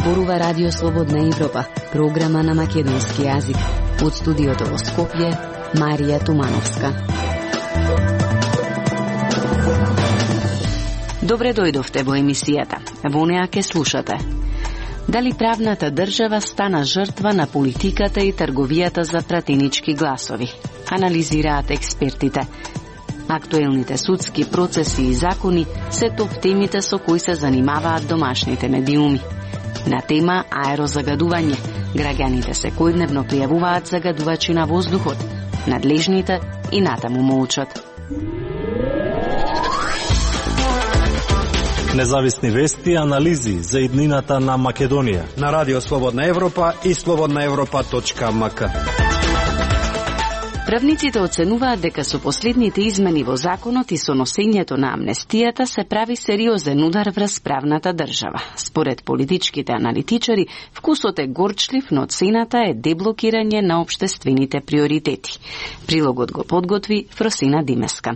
Зборува Радио Слободна Европа, програма на македонски јазик. Од студиото во Скопје, Марија Тумановска. Добре дојдовте во емисијата. Во неа ке слушате. Дали правната држава стана жртва на политиката и трговијата за пратенички гласови? Анализираат експертите. Актуелните судски процеси и закони се топ темите со кои се занимаваат домашните медиуми. На тема аерозагадување, граѓаните секојдневно пријавуваат загадувачи на воздухот. Надлежните и натаму молчат. Независни вести и анализи за иднината на Македонија на Радио Слободна Европа и slobodnaevropa.mk. Правниците оценуваат дека со последните измени во законот и со носењето на амнестијата се прави сериозен удар врз правната држава. Според политичките аналитичари, вкусот е горчлив, но цената е деблокирање на општествените приоритети. Прилогот го подготви Фросина Димеска.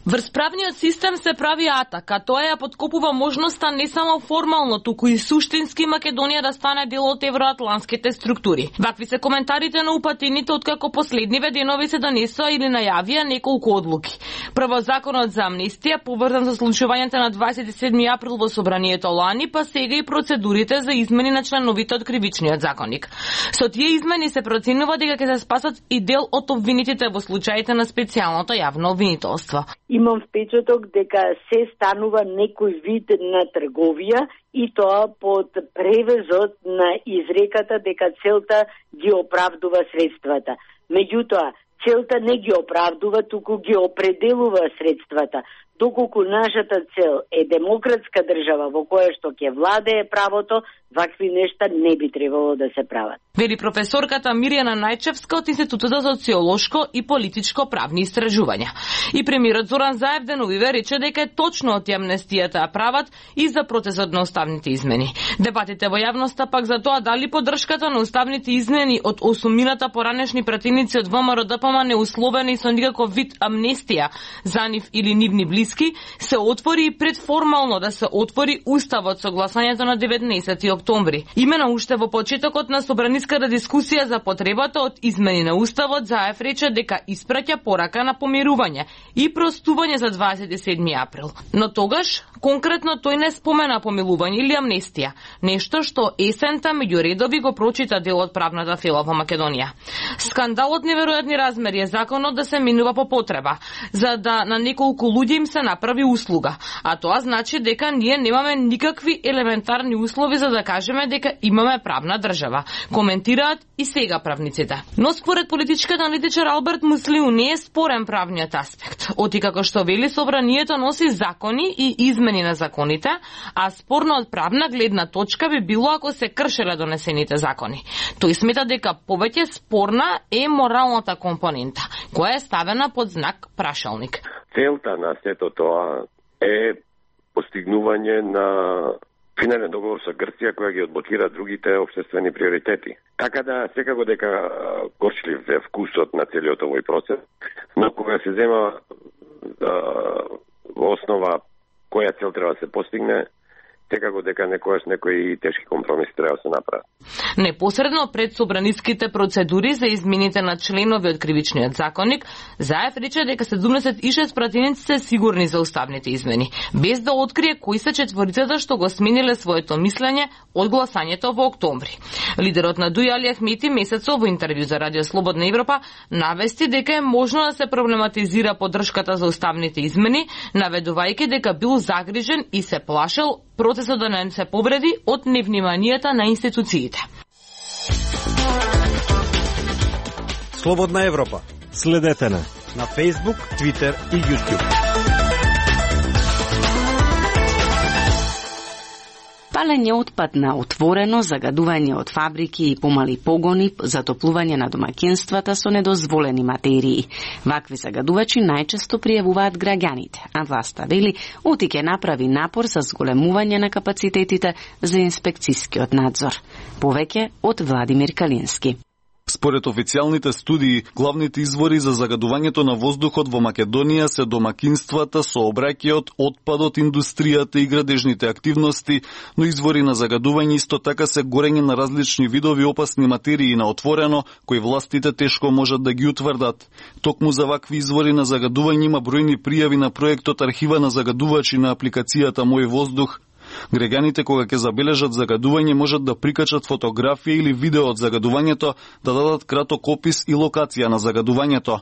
Врз правниот систем се прави атака, тоа ја подкопува можноста не само формално, туку и суштински Македонија да стане дел од евроатлантските структури. Вакви се коментарите на упатените откако последниве денови се донесоа или најавија неколку одлуки. Прво законот за амнестија, поврзан со случувањето на 27 април во собранието лани, па сега и процедурите за измени на членовите од кривичниот законник. Со тие измени се проценува дека ќе се спасат и дел од обвинетите во случаите на специјалното јавно обвинителство. Имам впечаток дека се станува некој вид на трговија и тоа под превезот на изреката дека целта ги оправдува средствата. Меѓутоа, целта не ги оправдува, туку ги определува средствата. Доколку нашата цел е демократска држава во која што ќе владее правото, вакви нешта не би требало да се прават. Вели професорката Мирјана Најчевска од Институтот за социолошко и политичко правни истражувања. И премиерот Зоран Заев деновиве рече дека е точно од амнестијата ја прават и за процесот на уставните измени. Дебатите во јавноста пак за тоа дали поддршката на уставните измени од осумината поранешни пратеници од ВМРО-ДПМ неусловени со никаков вид амнестија за нив или нивни близки, се отвори и предформално да се отвори уставот со гласањето на 19 октомври. Имено уште во почетокот на собраниската дискусија за потребата од измени на уставот, Заев рече дека испраќа порака на помирување и простување за 27 април. Но тогаш конкретно тој не спомена помилување или амнестија, нешто што есента меѓу редови го прочита дел од правната фила во Македонија. Скандалот неверојатни размери е законот да се минува по потреба, за да на неколку луѓе им се направи услуга, а тоа значи дека ние немаме никакви елементарни услови за да кажеме дека имаме правна држава, коментираат и сега правниците. Но според политичкиот аналитичар Алберт Муслиу не е спорен правниот аспект. Оти како што вели собранието носи закони и измени на законите, а спорно од правна гледна точка би било ако се кршеле донесените закони. Тој смета дека повеќе спорна е моралната компонента, која е ставена под знак прашалник. Целта на сето тоа е постигнување на финален договор со Грција која ги одблокира другите општествени приоритети. Така да секако дека горчлив е вкусот на целиот овој процес, но кога се зема во основа која цел треба да се постигне, секако дека некојаш некои тешки компромиси треба да се направат. Непосредно пред собраниските процедури за измените на членови од кривичниот законник, Заев рече дека 76 пратеници се сигурни за уставните измени, без да открие кои се четворицата што го смениле своето мислење од гласањето во октомври. Лидерот на ДУИ Али Ахмети месецов во интервју за Радио Слободна Европа навести дека е можно да се проблематизира поддршката за уставните измени, наведувајќи дека бил загрижен и се плашел процесот да не се повреди од невниманијата на институциите. Слободна Европа. Следете на Facebook, Twitter и YouTube. Палење отпад на отворено, загадување од фабрики и помали погони, затоплување на домаќинствата со недозволени материи. Вакви загадувачи најчесто пријавуваат граѓаните, а власта вели оти ќе направи напор за зголемување на капацитетите за инспекцискиот надзор. Повеќе од Владимир Калински. Според официјалните студии, главните извори за загадувањето на воздухот во Македонија се домакинствата, сообраќајот, отпадот, индустријата и градежните активности, но извори на загадување исто така се горење на различни видови опасни материи на отворено, кои властите тешко можат да ги утврдат. Токму за вакви извори на загадување има бројни пријави на проектот Архива на загадувачи на апликацијата Мој воздух. Граѓаните кога ќе забележат загадување можат да прикачат фотографија или видео од загадувањето, да дадат краток опис и локација на загадувањето.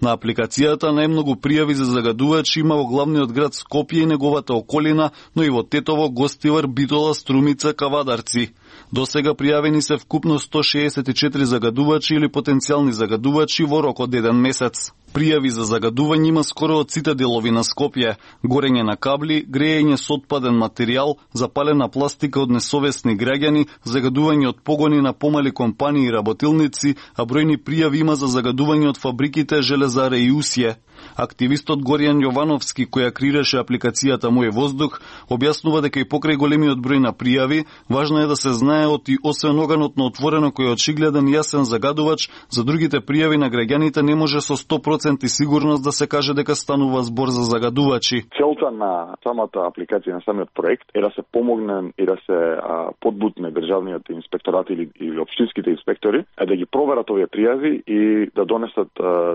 На апликацијата најмногу пријави за загадувачи има во главниот град Скопје и неговата околина, но и во Тетово, Гостивар, Битола, Струмица, Кавадарци. До сега пријавени се вкупно 164 загадувачи или потенцијални загадувачи во рок од 1 месец. Пријави за загадување има скоро од сите делови на Скопје: горење на кабли, грејење со отпаден материјал, запалена пластика од несовесни граѓани, загадување од погони на помали компании и работилници, а бројни пријави има за загадување од фабриките Железаре и Усје. Активистот Горијан Јовановски, која креираше апликацијата Мој воздух, објаснува дека и покрај големиот број на пријави, важно е да се знае и освен оганот на отворено кој е очигледен јасен загадувач, за другите пријави на граѓаните не може со 100% сигурност да се каже дека станува збор за загадувачи. Целта на самата апликација, на самиот проект е да се помогне и да се подбутне државниот инспекторат или општинските инспектори, да ги проверат овие пријави и да донесат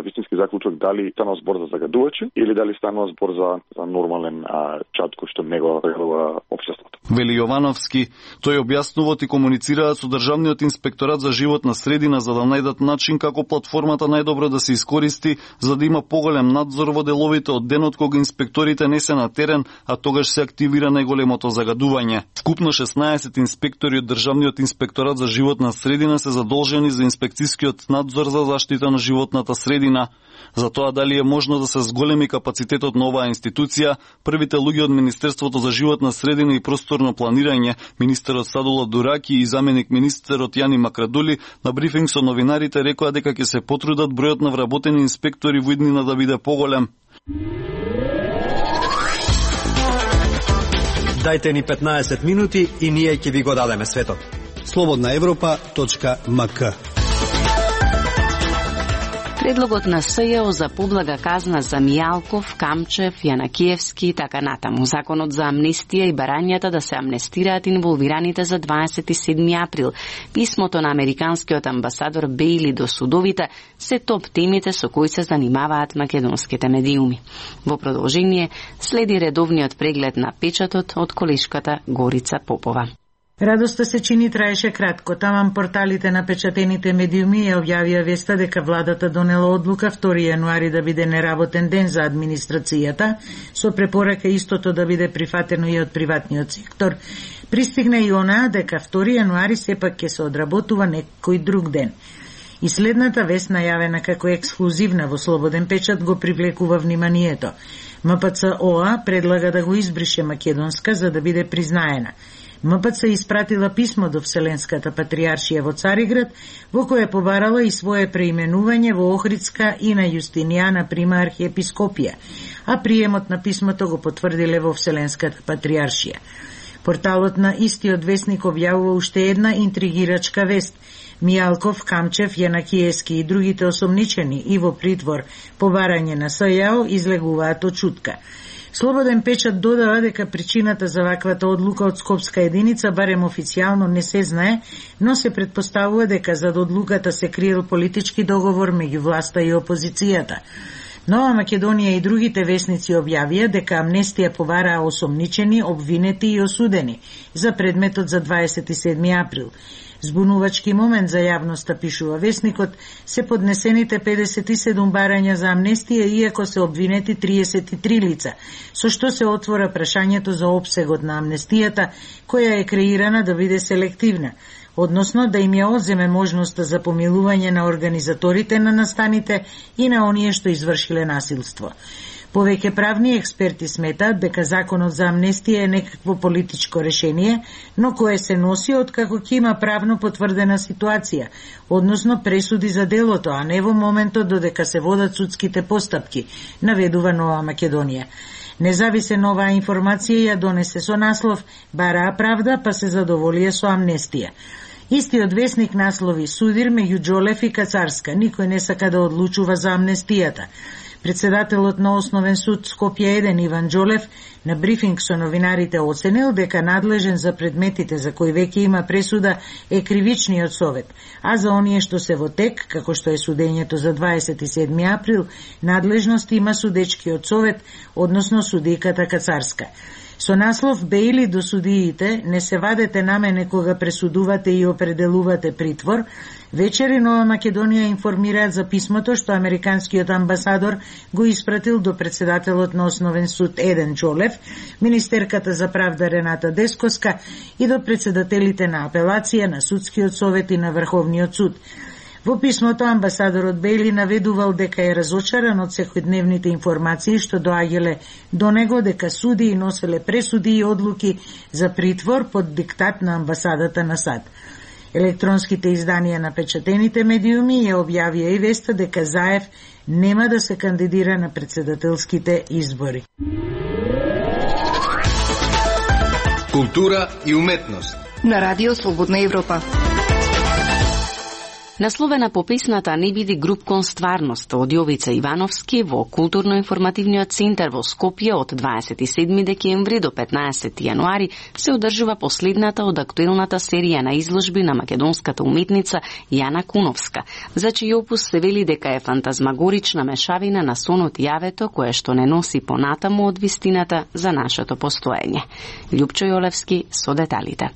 вистински заклучок дали станува збор за загадувачи или дали станува збор за нормален чат кој што него загадува општеството. Вели Јовановски, тој објаснува и комуницираат со Државниот инспекторат за животна средина за да најдат начин како платформата најдобро да се искористи за да има поголем надзор во деловите од денот кога инспекторите не се на терен, а тогаш се активира најголемото загадување. Вкупно 16 инспектори од Државниот инспекторат за животна средина се задолжени за инспекцијскиот надзор за заштита на животната средина. За тоа дали е можно да се зголеми капацитетот на оваа институција, првите луѓе од Министерството за животна средина и просторно планирање, министерот Садула Дураки и заменик министерот Јани Макрадули, на брифинг со новинарите рекоа дека ќе се потрудат бројот на вработени инспектори во иднина да биде поголем. Дајте ни 15 минути и ние ќе ви го дадеме светот. slobodnaevropa.mk. Предлогот на СЈО за поблага казна за Мијалков, Камчев, Јанакиевски и така натаму. Законот за амнестија и барањата да се амнестираат инволвираните за 27 април. Писмото на американскиот амбасадор Бейли до судовите се топ темите со кои се занимаваат македонските медиуми. Во продолжение следи редовниот преглед на печатот од колешката Горица Попова. Радоста се чини траеше кратко. Таман порталите на печатените медиуми ја објавија веста дека владата донела одлука 2 јануари да биде неработен ден за администрацијата, со препорака истото да биде прифатено и од приватниот сектор. Пристигна и онаа дека 2 јануари сепак ќе се одработува некој друг ден. И следната вест, најавена како ексклузивна во Слободен печат, го привлекува вниманието. МПЦ-ОА предлага да го избрише македонска за да биде признаена. МПЦ испратила писмо до Вселенската патриаршија во Цариград, во кое побарала и свое преименување во Охридска и на Јустинијана прима архиепископија, а приемот на писмото го потврдиле во Вселенската патриаршија. Порталот на истиот весник објавува уште една интригирачка вест. Мијалков, Камчев, Јанакиевски и другите осомничени и во притвор по барање на СЈО излегуваат од чутка. Слободен печат додава дека причината за ваквата одлука од Скопска единица барем официјално не се знае, но се претпоставува дека зад одлуката се криел политички договор меѓу власта и опозицијата. Нова Македонија и другите весници објавија дека амнестија побараа осомничени, обвинети и осудени за предметот за 27 април. Збунувачки момент за јавноста, пишува весникот, се поднесените 57 барања за амнестија, иако се обвинети 33 лица, со што се отвора прашањето за опсегот на амнестијата, која е креирана да биде селективна, односно да им ја одземе можноста за помилување на организаторите на настаните и на оние што извршиле насилство. Повеќе правни експерти сметаат дека законот за амнестија е некакво политичко решение, но кое се носи откако ќе има правно потврдена ситуација, односно пресуди за делото, а не во моментот додека се водат судските постапки, наведува Нова Македонија. Независен оваа информација ја донесе со наслов "Бараа правда, па се задоволија со амнестија". Истиот весник наслови: судир меѓу Џолев и Кацарска, никој не сака да одлучува за амнестијата. Председателот на Основен суд Скопје 1 Иван Џолев на брифинг со новинарите оценил дека надлежен за предметите за кои веќе има пресуда е кривичниот совет, а за оние што се во тек, како што е судењето за 27 април, надлежност има судечкиот совет, односно судијката Кацарска. Со наслов "Бејли до судиите, не се вадете на мене кога пресудувате и определувате притвор", вечери Нова Македонија информираат за писмото што американскиот амбасадор го испратил до председателот на Основен суд Еден Џолев, министерката за правда Рената Дескоска и до председателите на апелација, на судскиот совет и на Врховниот суд. Во писмото амбасадорот Бејли наведувал дека е разочаран од секојдневните информации што доаѓале до него дека судии носеле пресуди и одлуки за притвор под диктат на амбасадата на САД. Електронските изданија на печатените медиуми ја објавија и веста дека Заев нема да се кандидира на председателските избори. Култура и уметност на Радио Слободна Европа. Насловена по песната "Не биди груп кон стварност" од Јовица Ивановски во Културно-информативниот центар во Скопје од 27 декември до 15 јануари се одржува последната од актуелната серија на изложби на македонската уметница Јана Куновска, за чиј опус се вели дека е фантазмагорична мешавина на сонот и јавето, кое што не носи понатаму од вистината за нашето постоење. Љупчо Јолевски со деталите.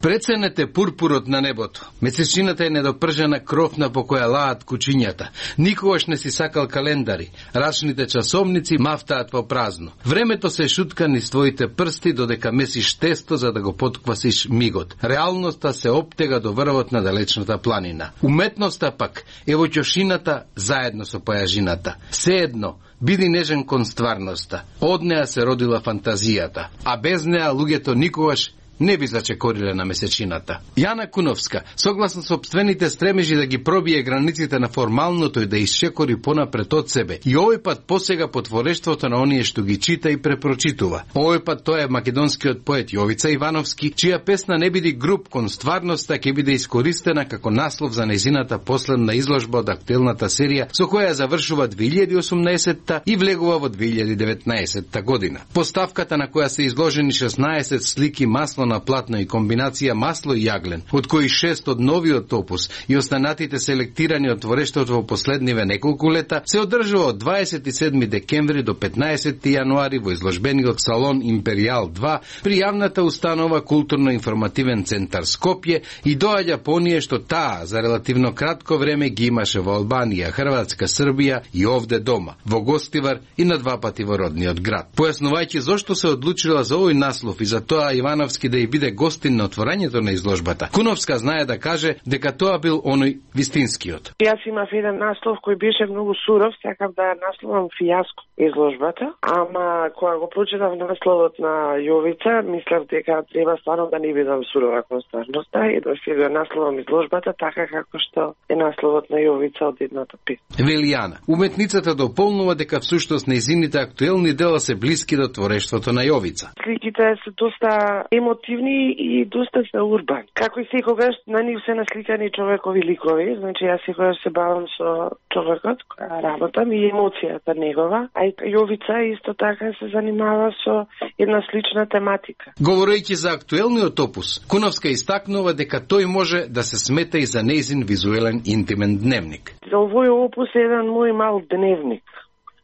Преценете пурпурот на небото. Месечината е недопржена кровна по која лаат кучињата. Никогаш не си сакал календари. Рачните часовници мафтаат по празно. Времето се шутка низ твоите прсти додека месиш тесто за да го потквасиш мигот. Реалноста се оптега до врвот на далечната планина. Уметноста пак е во ќошината заедно со појажината. Сеедно, биди нежен кон стварноста. Од неа се родила фантазијата, а без неа луѓето никогаш не би зачекориле на месечината. Јана Куновска, согласно сопствените стремежи да ги пробие границите на формалното и да исчекори понапред од себе, и овој пат посега по творештвото на оние што ги чита и препрочитува. Овој пат тоа е македонскиот поет Јовица Ивановски, чија песна "Не биди груп кон стварноста" ќе биде искористена како наслов за нејзината последна изложба од актуелната серија, со која завршува 2018 и влегува во 2019 година. Поставката на која се изложени 16 слики масло на платно и комбинација масло и јаглен, од кои 6 од новиот опус и останатите селектирани од творештвото во последниве неколку лета, се одржува од 27 декември до 15 јануари во изложбениот салон Империјал 2 при јавната установа Културно-информативен центар Скопје и доаѓа по оние што таа за релативно кратко време ги имаше во Албанија, Хрватска, Србија и овде дома, во Гостивар и на 2 пати во родниот град. Појаснувајќи зошто се одлучила за овој наслов и за тоа Ивановски да биде гостин на отворањето на изложбата, Куновска знае да каже дека тоа бил оној вистинскиот. Јас имав еден наслов кој беше многу суров, сакав да насловам фијаско изложбата, ама кога го прочитав насловот на Јовица, мислев дека треба стварно да не бидам сурова кон стварноста и да се го насловам изложбата така како што е насловот на Јовица од едната песна. Велијана, уметницата дополнува дека всушност нејзините актуелни дела се блиски до творештвото на Јовица. Сликите се доста емотивни и доста се урбан. Како и секогаш на нив се насликани човекови ликови, значи јас секогаш се бавам со човекот, која работам и емоцијата негова, а и Јовица исто така се занимава со една слична тематика. Говорејќи за актуелниот опус, Куновска истакнува дека тој може да се смета и за нејзин визуелен интимен дневник. За овој опус е еден мој мал дневник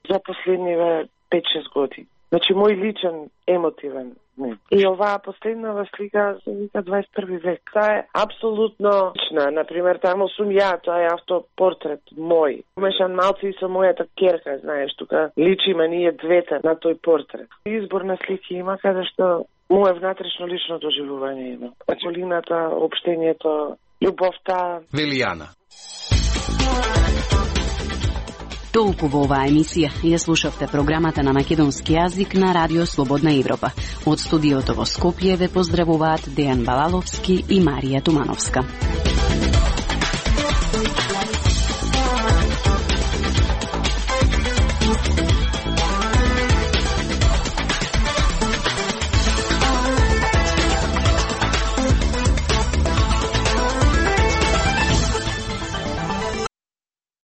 за последниве 5-6 години. Значи мој личен емотивен дневник. И оваа последнава слика се вика 21 век. Таа е апсолутно лична. Например, таму сум ја, тоа е автопортрет мој. Мешан малци и со мојата ќерка, знаеш, тука личиме ние двете на тој портрет. Избор на слики има каде што моје внатрешно лично доживување има. Околината, општењето, љубовта. Велијана. Толку во оваа емисија. Ја слушавте програмата на македонски јазик на Радио Слободна Европа. Од студиото во Скопје ве поздравуваат Дејан Балаловски и Марија Тумановска.